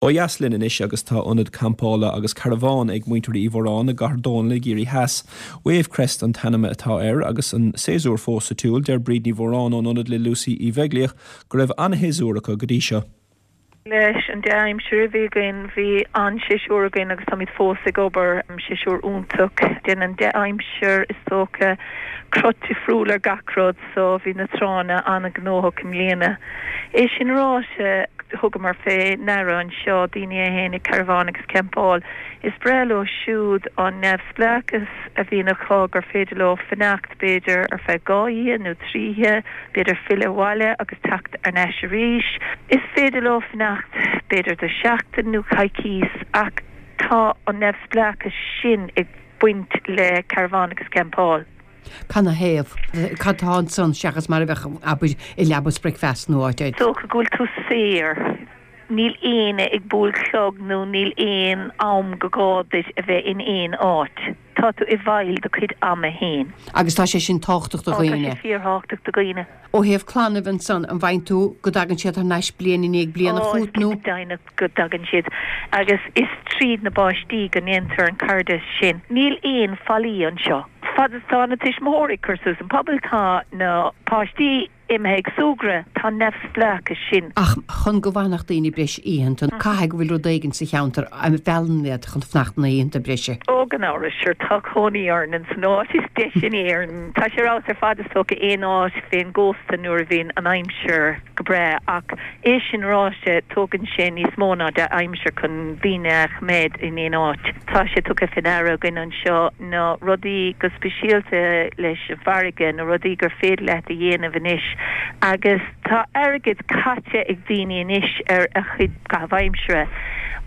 Ó dheas linn anois agus tá ionad campála agus carbhán ag muintir Uí Mhóráin i gCathair Dónall i gCiarraí Theas. Wavecrest an t-ainm atá air agus an séasúr fós sa tsiúl. Deir Bríd Ní Mhóráin ón ionad le Lucy Uí Bheaglaoich go raibh an-shéasúr acu go dtí seo. Leis an dea-aimsir a bhí againn, bhí an-séasúr againn agus táimid fós ag obair. Séasúr iontach. Déanann dea-aimsir, is dócha, cruth difriúil ar gach rud so bhí na tránna an-ghnóthach i mbliana. É sin ráite, thugamar fé ndeara anseo daoine a théann ag carbhán agus campáil. Is breá leo siúd an neamhspleáchas a bhíonn acu gur féidir leo fanacht b'fhéidir ar feadh 2 oíche nó 3 oíche, b'fhéidir filleadh abhaile agus teacht thar n-ais arís. Is féidir leo fanacht b'fhéidir do sheachtain nó coicís ach tá an neamhspleáchas sin ag baint le carbhán agus campáil. Canathaobh? Cad tá ansan seachas mar a bheadh, abair, i leaba is bricfeasta nó áit Is dócha go bhfuil tú saor. Níl éinne ag bualadh clog nó níl aon am go gá duit a bheith in aon áit. Tá tú i bhfeighil do chuid ama fhéin. Agus tá sé sin tábhachtach do Ó, tá dhaoine. sé fíorthábhachtach do dhaoine. Ó thaobh clann ansan, an bhfaigheann tú go dtagann siad thar n-ais bliain i ndiaidh bliana Ó, is fút nó? cinnte deimhneach go dtagann siad. Agus is tríd na bpáistí go ndéantar an cairdeas sin. Níl aon fallaí anseo. Fad is tá na tuismitheoirí ag cur suas an puball, tá na páistí imithe ag súgradh, tá an neamhspleáchas sin. Ach chun go bhfanfadh daoine breis oícheanta, caithfidh go bhfuil rud éigin sa cheantar a mheallann iad chun fanacht na hoícheanta breise. Ó, gan amhras, sure, tá cónaí orainn ins an áit is deise in Éirinn. Tá sé ar fheabhas ar fad is dócha aon áit fén gcósta nuair a bhíonn an aimsir go breá ach É sin ráite, tógann sé níos mó ná dea-aimsir chun daoine a choimeád in aon áit. Tá sé tugtha fé ndeara againn anseo na rudaí go speisialta leis an bhfarraige, na rudaí gur féidir leat a dhéanamh anois agus tá airgead caite ag daoine anois ar a chuid caitheamh aimsire.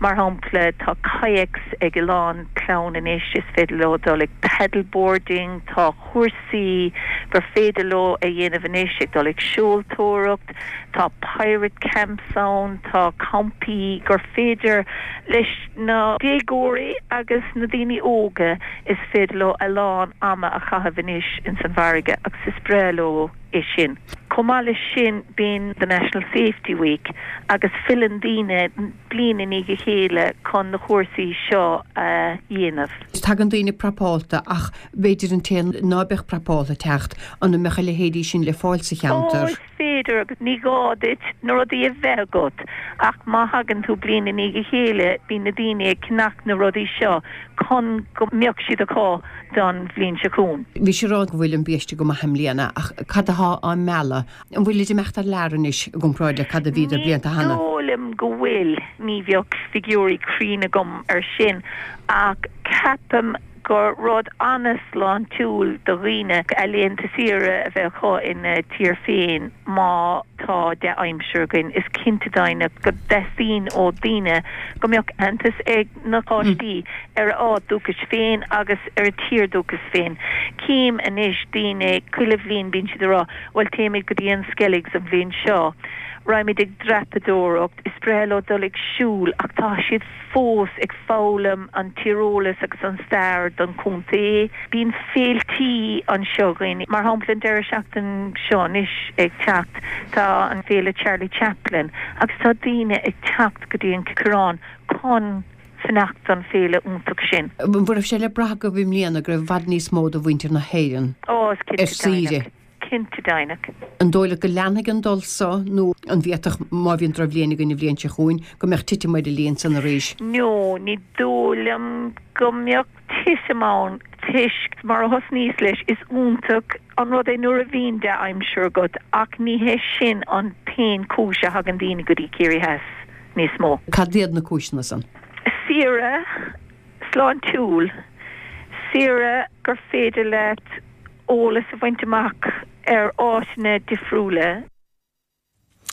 Mar shampla, tá kayaks ag a lán clann anois, is féidir leo dul ag paddleboarding, tá cúrsaí gur féidir leo a dhéanamh anois, ag dul ag seoltóireacht, Tá pirate camps ann, tá campaí gur féidir leis na déagóirí agus na daoine óga, is féidir leo a lán ama a chaitheamh anois ins an bhfarraige agus is breá leo é sin. Chomh maith leis sin bíonn the National Safety Week agus filleann daoine bliain i ndiaidh a chéile chun na cúrsaí seo a dhéanamh. Tagann daoine prapálta ach b'fhéidir an té ná beadh prapálta teacht, an mbeadh a leithéidí sin le fáil sa Ó, cheantar? is féidir agus ní gá duit na rudaí a bheith agat ach má thagann tú bliain i ndiaidh a chéile bíonn na daoine ag ceannach na rudaí seo chun go mbeadh siad acu don bhliain seo chugainn. Bhís ag rá go bhfuil an biaiste go maith i mbliana ach cad atá á mealladh? An bhfuilid ag imeacht thar lear anois i gcomparáid le cad a bhíodar Ní blianta cheana? dóigh liom go bhfuil, ní bheadh figiúirí cruinn agam ar sin ach ceapaim gur rud an-sláintiúil do dhaoine a laethanta saoire a bheith acu ina dtír féin má tá dea-aimsir againn. Is cinnte deimhneach go dteastaíonn ó daoine go mbeadh aitheantas ag na páistí ar a áit dúchais féin agus ar a tír dúchais féin. Cím anois daoine chuile bhliain bíonn siad ag rá bhuel téimid go dtí an Skelligs an bhliain seo, raghaimid ag dreapadóireacht, is breá leo dul ag siúl ach tá siad fós ag foghlaim an tíreolas agus an stair don chontae. Bíonn féiltí anseo againn, mar shampla an deireadh seachtain seo anois ag teacht tá an féile Charlie Chaplin agus tá daoine ag teacht go dtí an Coireán chun fanacht don féile iontach sin. An raibh sé le brath agaibh i mbliana go raibh i bhfad níos mó de mhuintir na hÉireann Ó, is ar cinnte saoire? deimhneach. Cinnte deimhneach. An dóigh leat go leanfaidh an dul so nó an bhféadfadh, má bhíonn drochbhliain againn an bhliain seo chugainn, go mbeadh titim ar an líon san arís? No, ní dóigh liom go mbeadh titim ann toisc, mar a thosnaíos leis, is iontach an rud é nuair a bhíonn dea-aimsir agat ach ní hé sin an t-aon chúis a thagann daoine go dtí Ciarraí Theas níos mó. Cad iad na cúiseanna san? Saoire sláintiúil, saoire gur féidir leat eolas a bhaint amach ar áiteanna difriúla.